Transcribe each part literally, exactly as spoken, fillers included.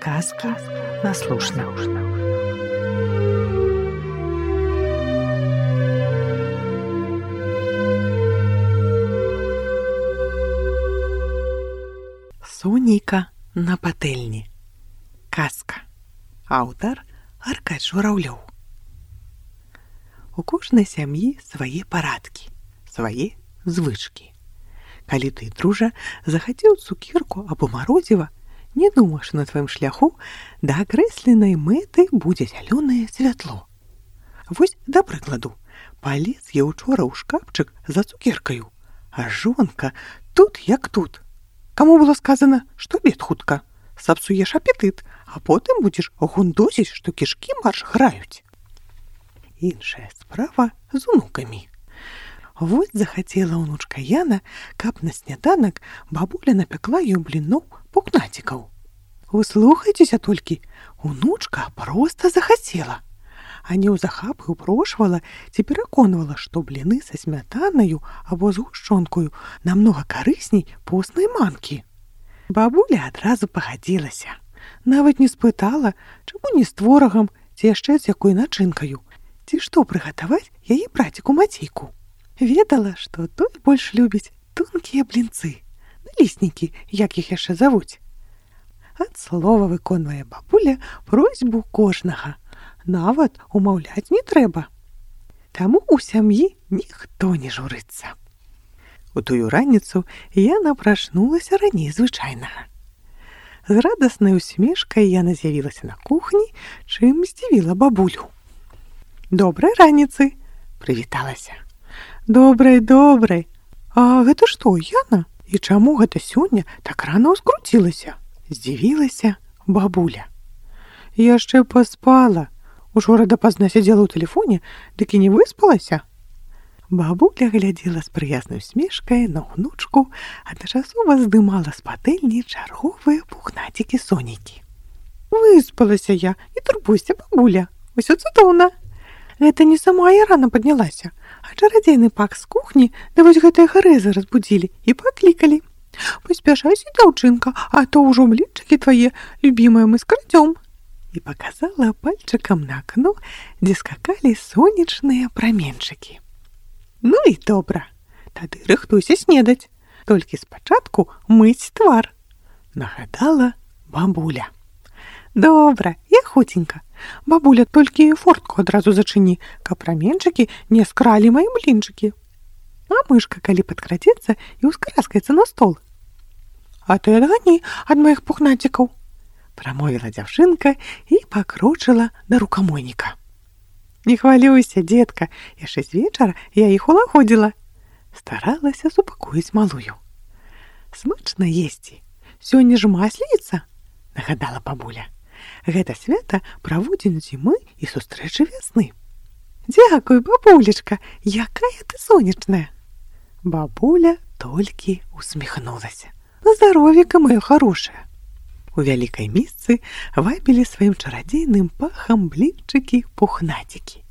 Казки на слушна. Сонейка на патэльні. Казка. Аўтар Аркадзь Жураўлёў. У кожнай сям'і свае парадкі, свае звычкі. Калі ты, дружа, захацеў цукерку або марозіва, не думаеш, на тваім шляху да акрэсленай мэты будзе зялёнае святло. Вось, да прыкладу, палез я учора ў шкафчык за цукеркаю, а жонка тут як тут. Каму было сказана, што абед хутка, сапсуеш апетыт, а потым будзеш гундосіць, што кішкі марш граюць. Іншая справа з унукамі. Вось захацела ўнучка Яна, каб на сняданак бабуля напякла ёй бліноў пухнацікаў. Услухайцеся толькі, унучка проста захацела. А неўзахапы ўпрошвала ці пераконвала, што бліны са смятанаю або з гушчонкаю намнога карысней поснай манкі. Бабуля адразу пагадзілася. Нават не спытала, чаму не з творагам ці яшчэ з якой начынкаю, ці што прыгатаваць яе браціку Мацейку. Ведала, што той больш любіць тонкія блінцы, наліснікі, як іх яшчэ завуць. Ад слова выконвае бабуля просьбу кожнага. Нават умаўляць не трэба. Таму ў сям'і ніхто не журыцца. У тую раніцу Яна прачнулася раней звычайнага. З радаснай усмешкай Яна з'явілася на кухні, чым здзівіла бабулю. «Добрай раніцы!» – прывіталася. «Добрай, добрай! А гэта што, Яна? І чаму гэта сёння так рана ўскруцілася?» – здзівілася бабуля. «Яшчэ паспала. Учора дапазна сядзела ў тэлефоне, дык і не выспалася». Бабуля глядзела з прыязнай усмешкай на ўнучку, адначасова здымала з патэльні чарговыя пухнацікі Сонейкі. «Выспалася я, не турбуйся, бабуля, усё цудоўна. Гэта не сама я рана паднялася, а чарадзейны пак з кухні, да вось гэтыя гарэзы разбудзілі і паклікалі. Паспяшайся, дзяўчынка, а то ўжо блінчыкі твае любімыя мы скрадзём». І паказала пальчыкам на акно, дзе скакалі сонечныя праменчыкі. «Ну і добра, тады рыхтуйся снедаць, толькі спачатку мыць твар», – нагадала бабуля. «Добра, я хуценька. Бабуля, толькі фортку адразу зачыні, каб праменчыкі не скралі мае блінчыкі. А мышка, калі падкрадзецца і ўскараскаецца на стол». «А ты адгані ад маіх пухнацікаў», – прамовіла дзяўчынка і пакрочыла да рукамойніка. «Не хвалюйся, дзетка, яшчэ з вечара я іх улагодзіла», – старалася супакоіць малую. «Смачна есці. Сёння ж масліца», – нагадала бабуля. «Гэта свята праводзін зімы і сустрэчы вясны». «Дзякуй, бабулечка, якая ты сонечная». Бабуля толькі усміхнулася. «Здаровіка, маё хорошае». У вялікай місцы вабілі сваім чарадзейным пахам блінчыкі-пухнацікі.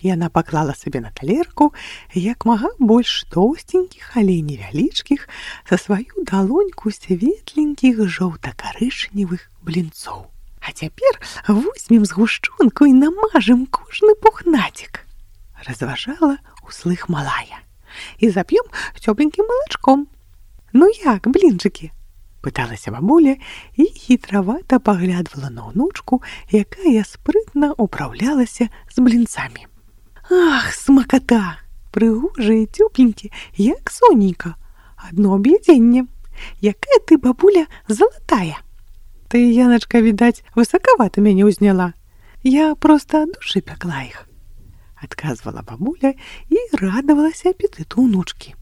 Яна паклала сабе на талерку як мага больш тоўстенькіх, але невялічкіх, за сваю далоньку светленькіх жоўта-карычневых блінцоў. «А цяпер возьмем згушчонку і намажем кожны пухнацік», – разважала услых малая. «І зап'ем цёпленькім малачком. Ну як, блінчыкі?» – пыталася бабуля і хітравата паглядвала на ўнучку, якая спрытна ўпраўлялася з блінцамі. «Ах, смаката! Прыгожыя, цёпленькі, як Сонейка. Адно аб'ядзенне. Якая ты, бабуля, залатая! Ты, Яначка, відаць, высакавата мяне ўзняла. Я проста ад душы пякла іх», – адказвала бабуля і радавалася апетыту ўнучкі.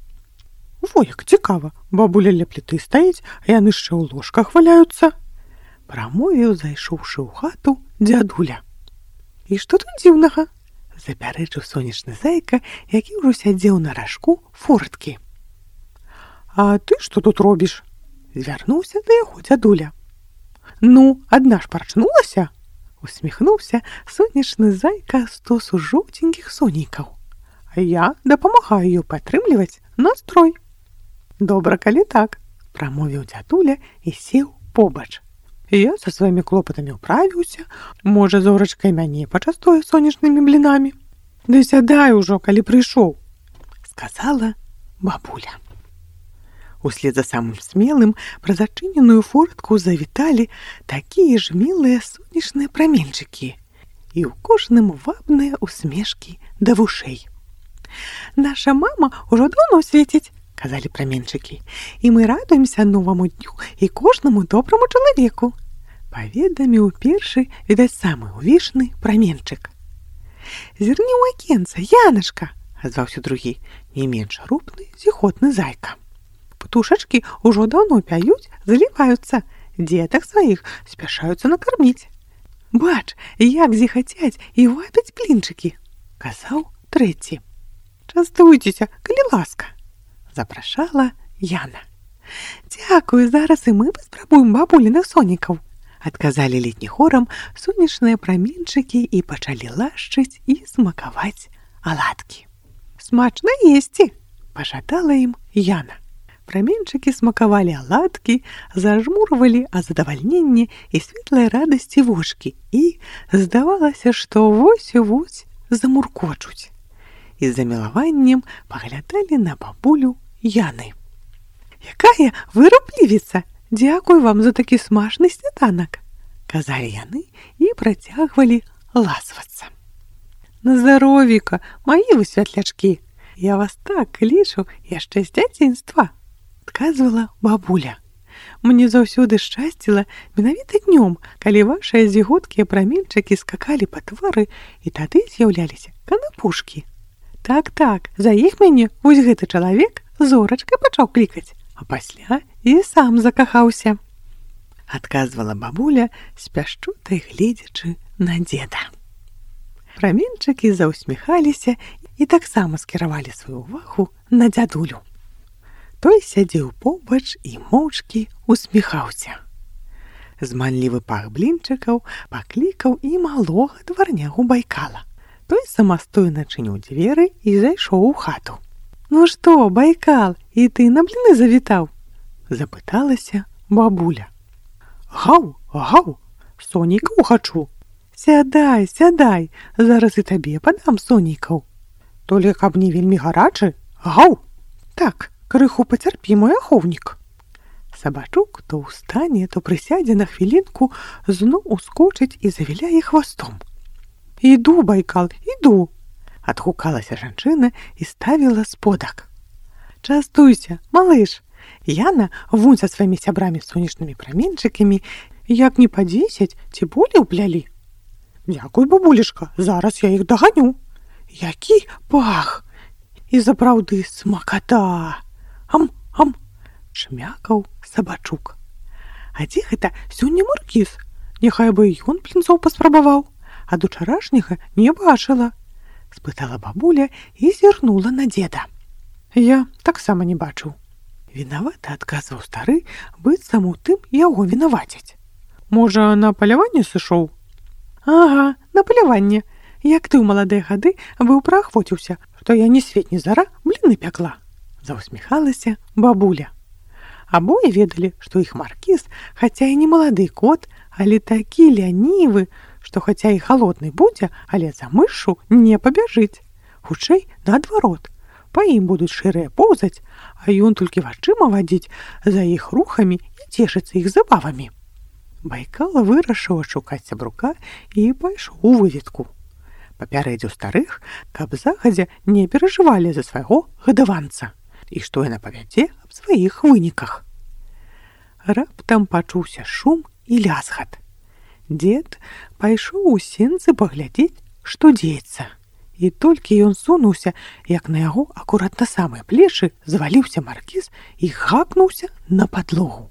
«Во, як цікава, бабуля ля пліты стаіць, а яны яшчэ ў ложках валяюцца», – прамовіў, зайшоўшы ў хату, дзядуля. «І што тут дзіўнага?» – запярэчыў сонечны зайка, які ўжо сядзеў на ражку форткі. «А ты што тут робіш?» – звярнуўся да яго дзядуля. «Ну, адна ж прачнулася?» – усміхнуўся сонечны зайка стосу жоўценькіх сонейкаў. «А я дапамагаю ёй падтрымліваць настрой». «Добра, калі так», – прамовіў дзядуля і сеў побач. Я со сваімі клопатамі ўправіўся, можа, зорачка і мяне пачастуе сонечнымі блінамі. Ды сядай ужо, калі прыйшоў, сказала бабуля. Услед за самым смелым праз адчыненую фортку завіталі такія ж мілыя сонечныя праменчыкі, і ў кожным вабныя усмешкі да вушэй. Наша мама ўжо даўно свеціць, казалі праменчыкі, і мы радуемся новаму дню і кожнаму добраму чалавеку, паведаміў першы, відаць, самы ўвішны праменчык. Зірні ў акенца, Яначка, азваўся другі, не менш рупны, зіхотны зайка. Птушачкі ўжо даўно пяюць, заліваюцца, дзетак сваіх спяшаюцца накарміць. Бач, як зіхацяць і вабяць блінчыкі, казаў трэці. Частуйцеся, калі ласка, запрашала Яна. Дзякую, зараз і мы паспрабуем бабуліных сонікаў, адказалі летні хорам сонечныя праменчыкі і пачалі лашчыць і смакаваць аладкі. Смачна есці, пажадала ім Яна. Праменчыкі смакавалі аладкі, зажмурвалі ад задавальнення і светлай радасці вочкі і здавалася, што вось-вось замуркочуць. І з замілаваннем паглядалі на бабулю Яны. Якая вы руплівіца! Дзякуй вам за такі смачны сняданак, казалі яны і працягвалі ласвацца. На здаровіка, маі вы святлячкі, я вас так лічу яшчэ з дзяцінства, адказвала бабуля. Мне заўсёды шчасціла менавіта днём, калі вашыя зіготкія праменчыкі скакалі па твары, і тады з'яўляліся канапушкі. Так-так, за іх мяне вось гэты чалавек зорачкай пачаў клікаць, а пасля і сам закахаўся, адказвала бабуля, з пяшчотай гледзячы на дзеда. Праменчыкі заўсміхаліся і таксама скіравалі сваю ўвагу на дзядулю. Той сядзеў побач і моўчкі усміхаўся. Зманлівы пах блінчыкаў паклікаў і малога дварнягу Байкала. Той самастойна чыніў дзверы і зайшоў у хату. Ну што, Байкал, і ты на бліны завітаў? Запыталася бабуля. Гаў, гаў, сонікаў хачу. Сядай, сядай, зараз і табе падам сонікаў. Толі каб не вельмі гарачы, гаў. Так, крыху пацярпі, мой ахоўнік. Сабачук то ўстане, то прысядзе на хвілінку, зноў ускочыць і завіляе хвастом. Іду, Байкал, іду, адгукалася жанчына і ставіла сподак. Частуйся, малыш. Яна вунь са сваімі сябрамі сонечнымі праменчыкамі, як не па дзесяць ці болей уплялі. Дзякуй, бабулечка, зараз я іх даганю. Які пах! І сапраўды смаката! Ам, ам! Шмякаў сабачук. А дзе гэта сёння маркіз? Няхай бы ён блінцоў паспрабаваў, ад учарашняга не бачыла, спытала бабуля і зірнула на дзеда. Я таксама не бачыў. Вінавата адказваў стары, быццам у тым яго вінавацяць. Можа, на паляванне сышоў? Ага, на паляванне. Як ты ў маладыя гады быў праахвоціўся, што я ні свет ні зара бліны пякла, заўсміхалася бабуля. Абое ведалі, што іх маркіз, хаця і не малады кот, але такі лянівы, што хаця і халодны будзе, але за мышу не пабяжыць. Хутчэй, наадварот, па ім будуць шырыя поўзаць, а ён толькі вачыма вадзіць за іх рухамі і цешыцца іх забавамі. Байкал вырашыў адшукаць сябрука і пайшоў у выведку. Папярэдзіў старых, каб загадзя не перажывалі за свайго гадаванца і што яна павядзе аб сваіх выніках. Раптам пачуўся шум і лязгат. Дзед пайшоў у сенцы паглядзець, што дзеецца. І толькі ён сунуўся, як на яго акурат на самыя плечы зваліўся маркіз і гакнуўся на падлогу.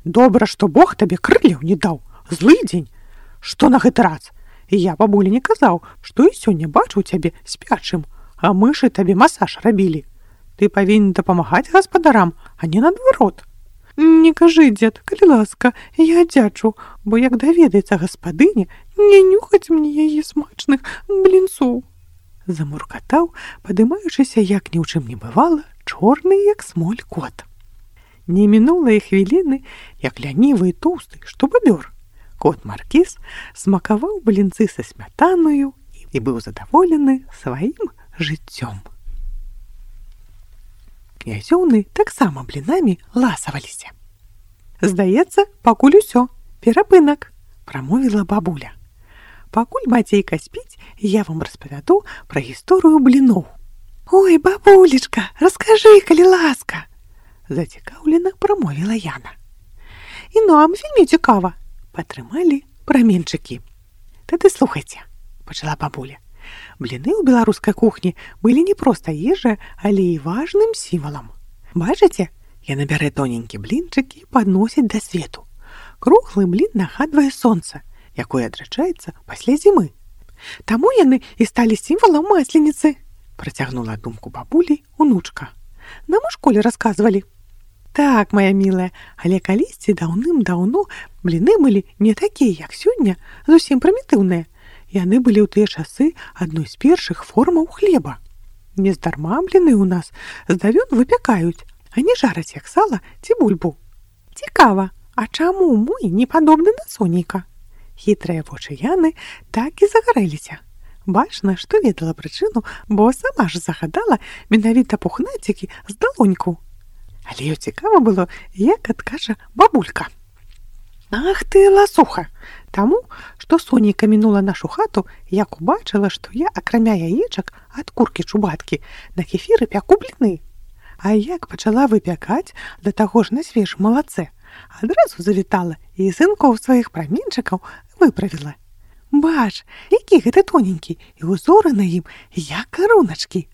Добра, што Бог табе крылляў не даў, злы дзень. Што на гэты раз? Я бабулі не казаў, што і сёння бачыў цябе спячым, а мышы табе масаж рабілі. Ты павінен дапамагаць гаспадарам, а не наадварот. Не кажы, дзед, калі ласка, я дзячу, бо як даведаецца гаспадыня, не нюхаць мне яе смачных блінцоў. Замуркатаў, падымаючыся, як ні ў чым не бывала, чорны, як смоль кот. Не мінула і хвіліны, як лянівы і тоўсты, што бабёр. Кот Маркіз смакаваў блінцы са смятаною і быў задаволены сваім жыццём. Князёўны таксама блінамі ласаваліся. «Здаецца, пакуль усё, перапынак», – прамовіла бабуля. «Пакуль Мацейка спіць, я вам распавяду пра гісторыю бліноў». «Ой, бабулечка, раскажы, калі ласка», – зацікаўлена прамовіла Яна. «І нам вельмі цікава», – падтрымалі праменчыкі. «Тады слухайце», – пачала бабуля. «Бліны ў беларускай кухні былі не проста ежай, але і важным сімвалам. Бачыце, яна бярэ тоненькі блінчык і падносіць да свету. Круглы блін нагадвае сонца, якое адрачаецца пасля зімы. Таму яны і сталі сімвалам масленіцы», – працягнула думку бабулі унучка. «Нам у школе расказвалі». «Так, моя мілая, але калісьці даўным-даўно бліны былі не такія, як сёння, зусім прымітыўныя. Яны былі ў тыя часы адной з першых формаў хлеба. Нездарма бліны ў нас з давён выпякаюць, а не жараць як сала ці бульбу. Цікава, а чаму мой не падобны на сонейка?» Хітрыя вочы Яны так і загарэліся. Бачна, што ведала прычыну, бо сама ж загадала менавіта пухнацікі з далоньку. Але ёй цікава было, як адкажа бабулька. «Ах ты, ласуха! Таму, што сонейка мінула нашу хату, як убачыла, што я, акрамя яечак ад куркі-чубаткі, на кефіры пяку бліны. А як пачала выпякаць, да таго ж на свежым малаце, адразу завітала і сынкоў сваіх праменчыкаў выправіла. Бач, які гэты тоненькі, і ўзоры на ім, як каруначкі.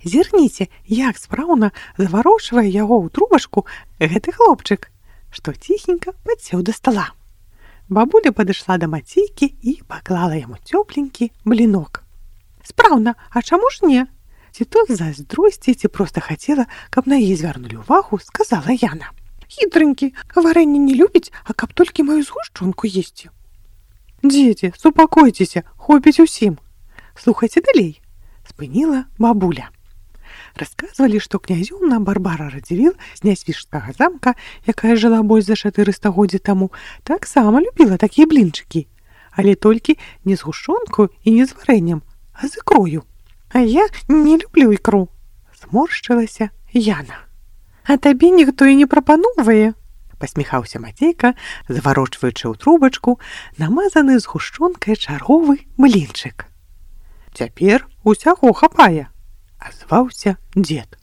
Зірніце, як спраўна заварочвае яго ў трубачку гэты хлопчык, што ціхенька падсеў да стала». Бабуля падышла да Мацейкі і паклала яму цёпленькі блінок. «Спраўна, а чаму ж не? Ці то з зайздросці, ці проста хацела, каб на яе звярнулі ўвагу», – сказала Яна. «Хітрынькі, варэнне не любіць, а каб толькі маю згушчонку есці». «Дзеці, супакойцеся, хопіць усім. Слухайце далей», – спыніла бабуля. Расказвалі, што князёўна Барбара Радзівіл з Нясвіжскага замка, якая жыла больш за чатырыста годдзяў таму, таксама любіла такія блінчыкі, але толькі не з гушчонкаю і не з варэннем, а з ікрою. «А я не люблю ікру», – зморшчылася Яна. «А табе ніхто і не прапаноўвае», – пасміхаўся Мацейка, заварочваючы ў трубачку намазаны з гушчонкай чарговы блінчык. «Цяпер усяго хапае», – азваўся дзед.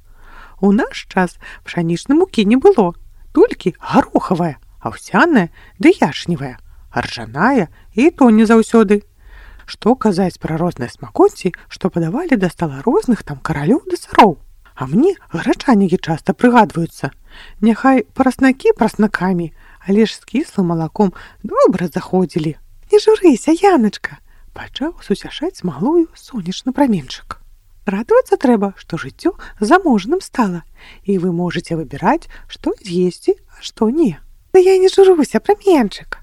«У наш час пшанічнай мукі не было, толькі гарохавая, аўсяная ды ячневая, ржаная і то не заўсёды. Што казаць пра розныя смакоці, што падавалі да стала розных там каралёў ды цароў. А мне грачанікі часта прыгадваюцца. Няхай праснакі праснакамі, але ж з кіслым малаком добра заходзілі. Не журыся, Яначка», – пачаў суцяшаць малую сонечны праменчык. «Радавацца трэба, што жыццё заможным стала, і вы можаце выбіраць, што з'есці, а што не». «Да я не журуся, праменчык»,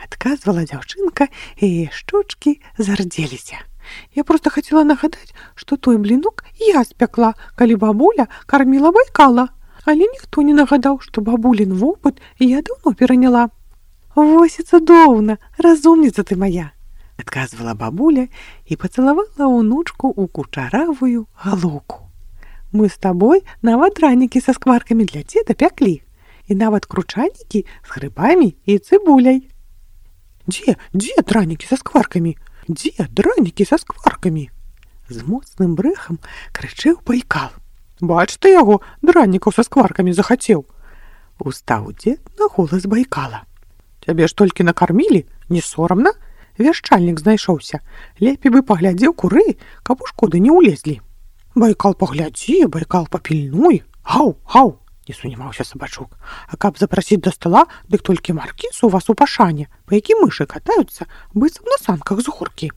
– адказвала дзяўчынка, і яе шчочкі зардзеліся. «Я проста хацела нагадаць, што той блінок я спякла, калі бабуля карміла Байкала, але ніхто не нагадаў, што бабулін вопыт я даўно пераняла». «Вось і цудоўна, разумніца ты моя», – адказвала бабуля і пацалавала ўнучку ў кучаравую галоўку. «Мы з табой нават дранікі са скваркамі для дзеда пяклі, і нават кручанікі з грыбамі і цыбуляй». «Дзе, дзе дранікі са скваркамі? Дзе дранікі са скваркамі?» З моцным брэхам крычэў Байкал. «Бач ты яго, дранікаў са скваркамі захацеў!» Устаў дзед на голас Байкала. «Цябе ж толькі накармілі, не сорамна? Вяшчальнік знайшоўся. Лепей бы паглядзеў куры, каб у шкоды не ўлезлі». «Байкал паглядзі, Байкал папільнуй. Гаў, гаў!» не сунімаўся сабачок. «А каб запрасіць да стала, дык толькі Маркіз у вас у пашане, па які мышы катаюцца, быццам на санках з горкі».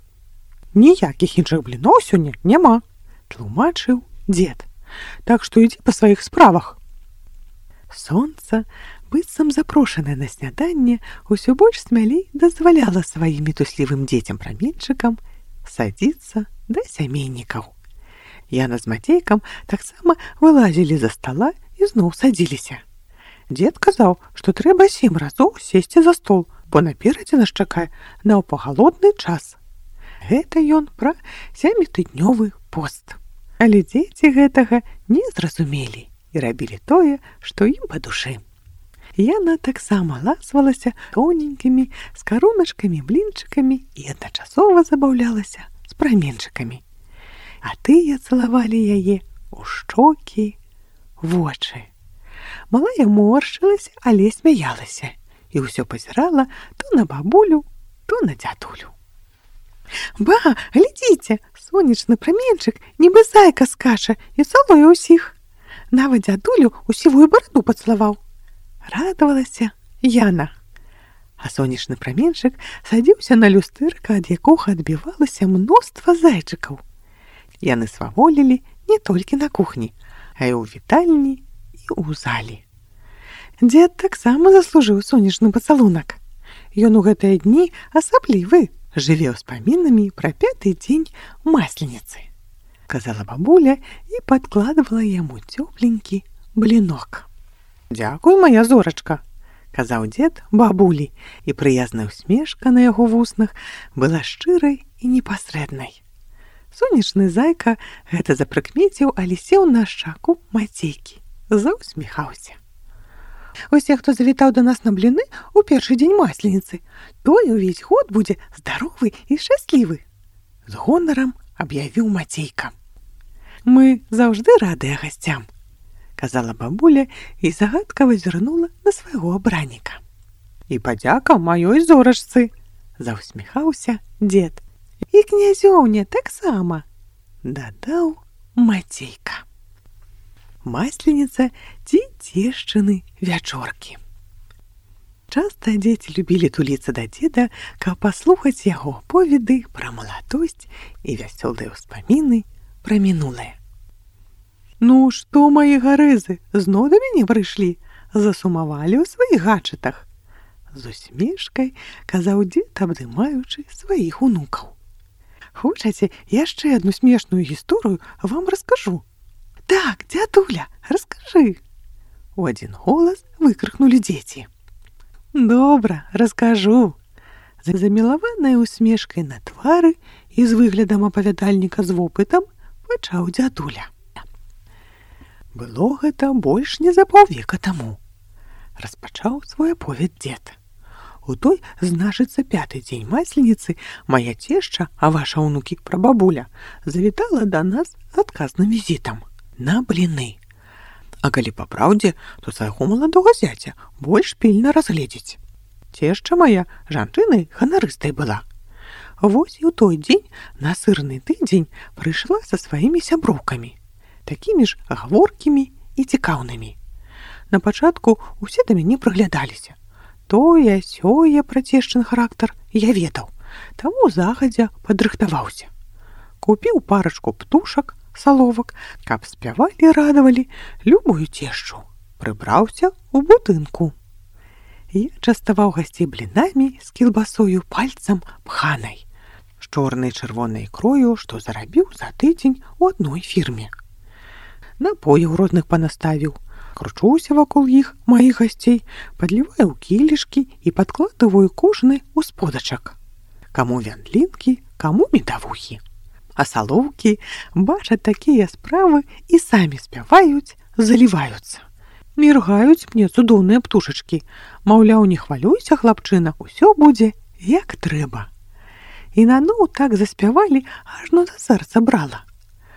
«Ніякіх іншых бліноў сёння няма», – тлумачыў дзед. «Так што ідзі па сваіх справах». Сонца, быццам запрошанае на сняданне, усё больш смялей дазваляла сваім мітуслівым дзецям-праменчыкам садзіцца да сямейнікаў. Яна з Мацейкам таксама вылазілі за стала і зноў садзіліся. Дзед казаў, што трэба сем разоў сесці за стол, бо наперадзе нас чакае наўпагалодны час. Гэта ён пра сямітыднёвы пост. Але дзеці гэтага не зразумелі і рабілі тое, што ім па душы. Яна таксама ласвалася тоненькімі скаруначкамі, блінчыкамі і адначасова забаўлялася з праменчыкамі. А тыя цалавалі яе ў шчокі, вочы. Малая моршчылася, але смяялася і ўсё пазірала то на бабулю, то на дзядулю. Ба, глядзіце, сонечны праменчык, нібы зайка скача і цалуе ўсіх. Нават дзядулю ў сівую бараду пацалаваў. Радавалася Яна. А сонечны праменчык садзіўся на люстэрка, ад якога адбівалася мноства зайчыкаў. Яны сваволілі не толькі на кухні, а і ў вітальні і ў залі. Дзед таксама заслужыў сонечны пацалунак. Ён у гэтыя дні асаблівы, жыве ўспамінамі пра пяты дзень масленицы, казала бабуля і падкладывала яму цёпленькі блінок. «Дзякуй, моя зорачка», казаў дзед бабулі, і прыязная усмешка на яго вуснах была шчырай і непасрэднай. Сонечны зайка гэта запрыкмеціў, але сеў на шчаку Мацейкі, заўсміхаўся. «Усе, хто завітаў да нас на бліны ў першы дзень масленицы, той увесь год будзе здаровы і шчаслівы», з гонарам аб'явіў Мацейка. «Мы заўжды радыя гасцям», казала бабуля і загадкава зірнула на свайго абранніка. «І падзяка маёй зорачцы», заўсміхаўся дзед. «І князёўне таксама», дадаў Мацейка. Масленіца ці цешчыны вячоркі. Часта дзеці любілі туліцца да дзеда, каб паслухаць яго аповеды пра маладосць і вясёлыя ўспаміны пра мінулае. «Ну што, мае гарэзы, зноў да мяне прыйшлі, засумавалі ў сваіх гачатах», з усмешкай казаў дзед, абдымаючы сваіх унукаў. «Хочаце, яшчэ адну смешную гісторыю вам раскажу?» «Так, дзядуля, раскажы!» У адзін голас выкрыкнулі дзеці. «Добра, раскажу!» З замілаванай усмешкай на твары і з выглядам апавядальніка з вопытам пачаў дзядуля. Было гэта больш не за паўвека таму. Распачаў свой аповед дзед. У той, значыцца, пяты дзень масленицы мая цешча, а ваша ўнукі прабабуля, завітала да нас з адказным візітам на бліны. А калі па праўдзе, то свайго маладога зяця больш пільна разгледзець. Цешча мая жанчынай ганарыстай была. Вось і ў той дзень на сырны тыдзень прыйшла са сваімі сяброўкамі, такімі ж гаворкімі і цікаўнымі. На пачатку усе да мяне прыглядаліся. Тое, сёе пра цешчын характар я ведаў, таму загадзя падрыхтаваўся. Купіў парачку птушак, саловак, каб спявалі, радавалі любую цешчу. Прыбраўся ў будынку. Я частаваў гасцей блінамі з кілбасою пальцам пханай, з чорнай чырвонай ікрою, што зарабіў за тыдзень у адной фірме. Напояў розных панаставіў, кручуся вакол іх, маіх гасцей, падліваю ў кілішкі і падкладываю кожны ў сподачак. Каму вяндлінкі, каму медавухі. А салоўкі бачаць такія справы і самі спяваюць, заліваюцца. Міргаюць мне цудоўныя птушачкі. Маўляў, не хвалюйся, хлапчына, усё будзе як трэба. І наноў так заспявалі, ажно да сэрца брала,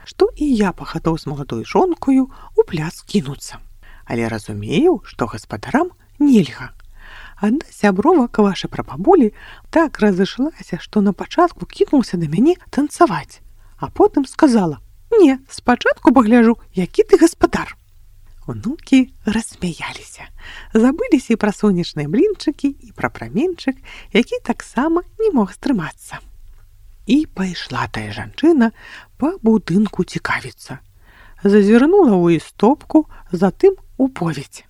што і я пахатоў з маладой жонкою у пляц кінуцца. Але разумею, што гаспадарам нельга. Адна сябровак ваша прабабулі так разышлася, што на пачатку кінулася да мяне танцаваць, а потым сказала: «Не, спачатку пагляджу, які ты гаспадар». Унукі рассмяяліся, забыліся і пра сонечныя блінчыкі, і пра праменчык, які таксама не мог стрымацца. І пайшла тая жанчына па будынку цікавіцца. Зазірнула ў істопку, затым у поведь.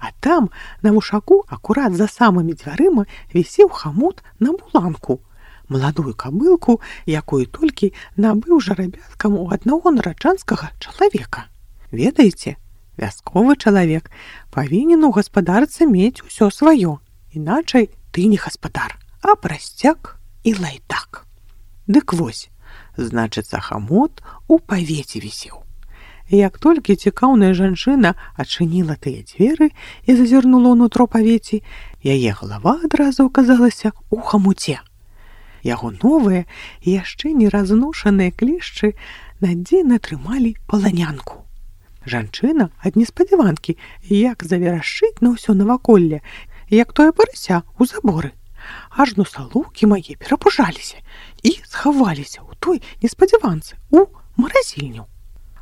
А там, на вушаку, акурат за самымі дзвярыма, вісеў хамут на буланку, маладую кабылку, якую толькі набыў жарабяткам у аднаго нараджанскага чалавека. Ведаеце, Вясковы чалавек павінен у гаспадарцы мець усё сваё, іначай ты не гаспадар, а прасцяк і лайдак. Дык вось, значыцца, хамут у павеце вісеў. Як толькі цікаўная жанчына адчыніла тыя дзверы і зазірнула ўнутро павеці, яе галава адразу аказалася ў хамуце. Яго новыя, яшчэ не разношаныя клешчы надзейна трымалі паланянку. Жанчына ад неспадзяванкі як заверашчыць на ўсё наваколле, як тое парася ў заборы. Ажно салоўкі мае перапужаліся і схаваліся ў той неспадзяванцы у маразільню.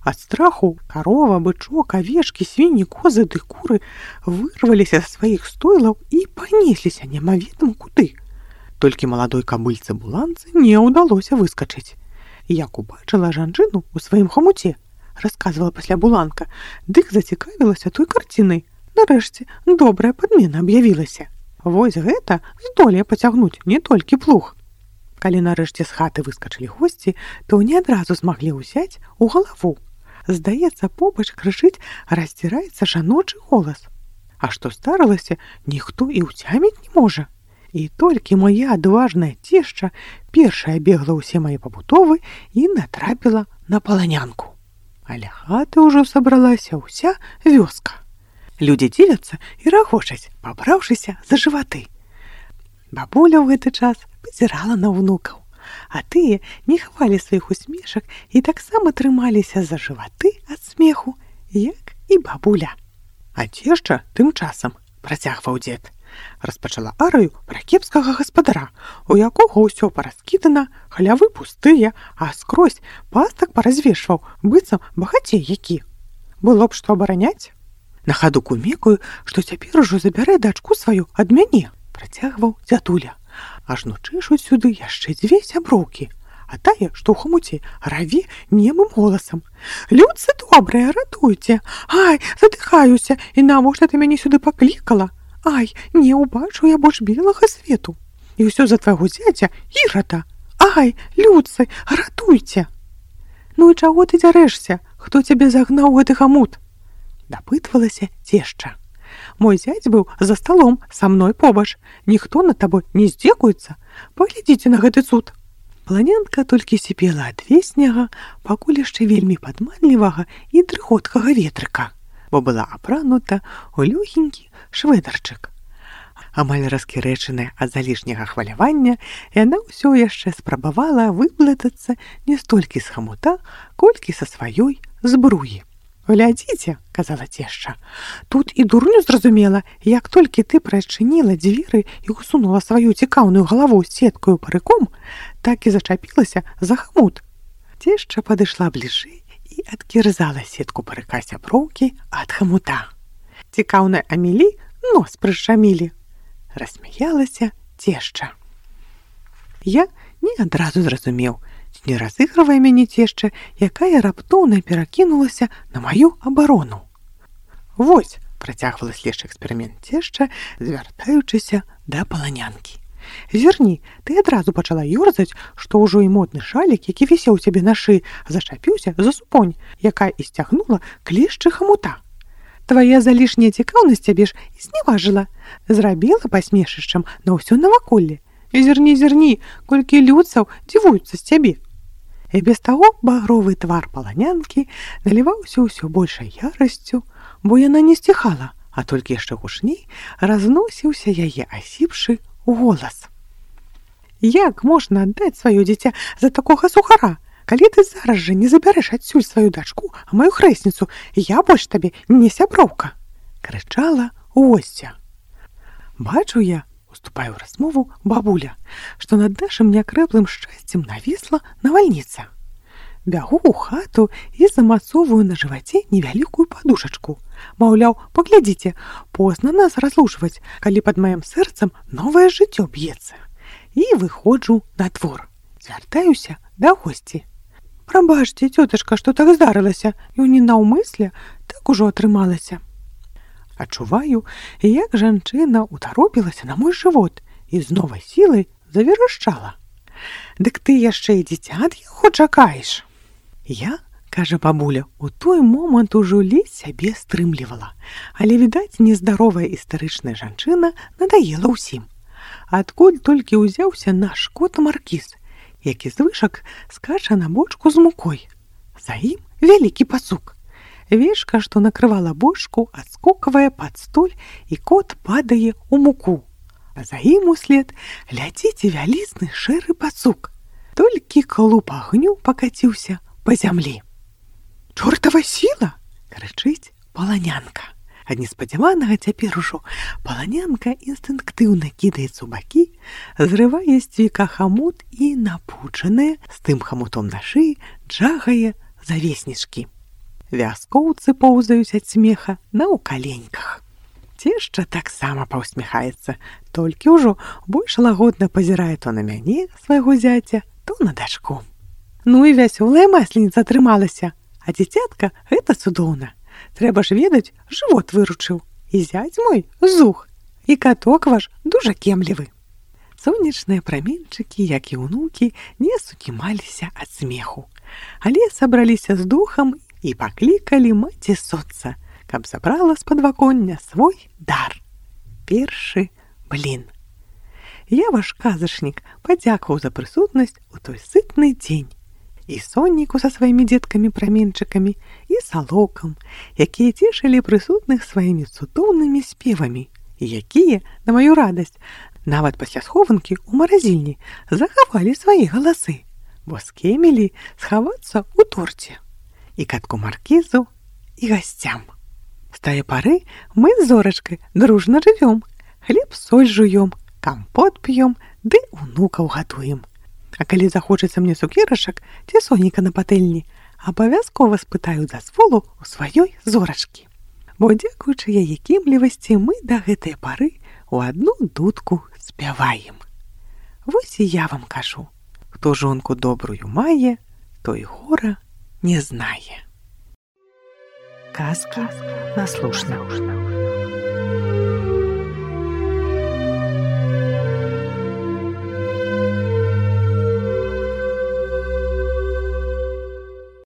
Ад страху карова, бычок, авечкі, свінні, козы ды куры вырваліся з сваіх стойлаў і панесліся немаведама куды. Толькі маладой кабыльцы Буланцы не ўдалося выскачыць. Як убачыла жанчыну ў сваім хамуце, расказвала пасля Буланка, дык зацікавілася той карцінай. Нарэшце добрая падмена аб'явілася. Вось гэта здолее пацягнуць не толькі плуг. Калі нарэшце з хаты выскачылі госці, то не адразу змаглі ўзяць у галаву. Здаецца, побач крычыць раздзіраецца жаночы голас. А што здарылася, ніхто і ўцяміць не можа. І толькі моя адважная цешча першая бегла ўсе мае пабутовы і натрапіла на паланянку. Але хаты ўжо сабралася ўся вёска. Людзі дзівяцца і рагочаць, пабраўшыся за жываты. Бабуля ў гэты час пазірала на ўнукаў, а тыя не хавалі сваіх усмешак і таксама трымаліся за жываты ад смеху, як і бабуля. А цешча тым часам, працягваў дзед, распачала арыю пра кепскага гаспадара, у якога ўсё параскідана, халявы пустыя, а скрозь пастак паразвешваў, быццам багацей які. Было б што абараняць? На хаду кумекаю, што цяпер ужо забярэ дачку сваю ад мяне, працягваў дзядуля. Ажно чэшуць сюды яшчэ дзве сяброўкі, а тая, што ў хамуце, раве немым голасам. Людцы добрыя, ратуйце! Ай, задыхаюся, і навошта ты мяне сюды паклікала? Ай, не ўбачу я больш белага свету. І ўсё за твайго зяця Ірада. Ай, людцы, ратуйце! Ну і чаго ты дзярэшся? Хто цябе загнаў гэты хамут? Дапытвалася цешча. Мой зяць быў за сталом са мной побач. Ніхто над табой не здзекуецца. Паглядзіце на гэты цуд. Паланянка толькі сіпела ад веснага, пакуль яшчэ вельмі падманлівага і дрыготкага ветрыка, бо была апранута ў лёгенькі швэдарчык. Амаль раскірэчаная ад залішняга хвалявання, яна ўсё яшчэ спрабавала выблытацца не столькі з хамута, колькі са сваёй збруі. «Глядзіце», — казала цешча, — «тут і дурню зразумела, як толькі ты прачыніла дзверы і усунула сваю цікаўную галаву сеткаю парыком, так і зачапілася за хамут». Цешча падышла бліжэй і адкірзала сетку парыка сяброўкі ад хамута. «Цікаўная Амелі нос прышчамілі», — рассмяялася цешча. Я не адразу зразумеў, не разыгрывае мяне цешча, якая раптоўна перакінулася на маю абарону. «Вось», — працягвала следчы эксперымент цешча, звяртаючыся да паланянкі. «Зірні, ты адразу пачала ёрзаць, што ўжо і модны шалік, які вісеў у цябе на шыі, зачапіўся за супонь, якая і сцягнула клешчы хамута. Твая залішняя цікаўнасць цябе ж і зневажыла, зрабіла пасмешышчам на ўсё наваколле. Зірні, зірні, колькі людцаў дзівуюцца з цябе». І без таго багровы твар паланянкі наліваўся ўсё большай ярасцю, бо яна не сціхала, а толькі яшчэ гучней разносіўся яе асіпшы голас. «Як можна аддаць сваё дзіця за такога сухара? Калі ты зараз жа не забярэш адсюль сваю дачку, а маю хрэсніцу, я больш табе не сяброўка!» — крычала госця. Бачу я, уступаю ў размову бабуля, што над нашым някрэплым шчасцем навісла навальніца. Бягу ў хату і замацоўваю на жываце невялікую падушачку. Маўляў, паглядзіце, позна нас разлучваць, калі пад маім сэрцам новае жыццё б'ецца. І выходжу на двор. Звяртаюся да госці. «Прабачце, цётачка, што так здарылася, і не наўмысля, так ужо атрымалася». Адчуваю, як жанчына утаропілася на мой жывот і з новай сілай заверашчала. «Дык ты яшчэ і дзіця ад яго чакаеш?» Я кажа бабуля, у той момант ужо ледзь сябе стрымлівала. Але, відаць, нездаровая істарычная жанчына надоела ўсім. Адкуль толькі ўзяўся наш кот Маркіз, які з вышак скача на бочку з мукой. За ім вялікі пацук. Вечка, што накрывала бочку, адскоквае пад столь, і кот падае ў муку. А за ім услед ляціць вялізны шэры пацук. Толькі клуб агню пакаціўся па зямлі. «Чортава сіла!» — крычыць паланянка. Ад неспадзяванага цяпер ужо паланянка інстынктыўна кідаецца ў бакі, зрывае з цвіка хамут і, напучаная, з тым хамутом на шыі, джагае завеснічкі. Вяскоўцы поўзаюць ад смеха на ўкаленьках. Цешча таксама паўсміхаецца, толькі ўжо больш лагодна пазірае то на мяне, свайго зяця, то на дачку. Ну і вясёлая масленіца атрымалася, а дзіцятка гэта цудоўна. Трэба ж ведаць, жывот выручыў. І зяць мой зух, і каток ваш дужа кемлівы. Сонечныя праменчыкі, як і ўнукі, не сукімаліся ад смеху. Але сабраліся з духам і паклікалі маці соцца, каб забрала з падваконня свой дар. Першы блін. Я, ваш казачнік, падзякаваў за прысутнасць у той сытны дзень. І сонніку са сваімі дзеткамі-праменчыкамі, і салокам, якія цешылі прысутных сваімі цудоўнымі спевамі, і якія, на маю радасць, нават пасля схованкі ў маразільні захавалі свае галасы, бо скемелі схавацца ў торце. І катку Маркізу, і гасцям. З тае пары мы з Зорачкай дружна жывём, хлеб-соль жуём, кампот п'ём, ды унукаў гадуем. А калі захочацца мне цукерачак ці соніка на патэльні, абавязкова спытаю дазволу ў сваёй Зорачкі. Бо дзякуючы яе кемлівасці мы да гэтай пары у адну дудку спяваем. Вось і я вам кажу, хто жонку добрую мае, той гора не знае. Казкі на слушна.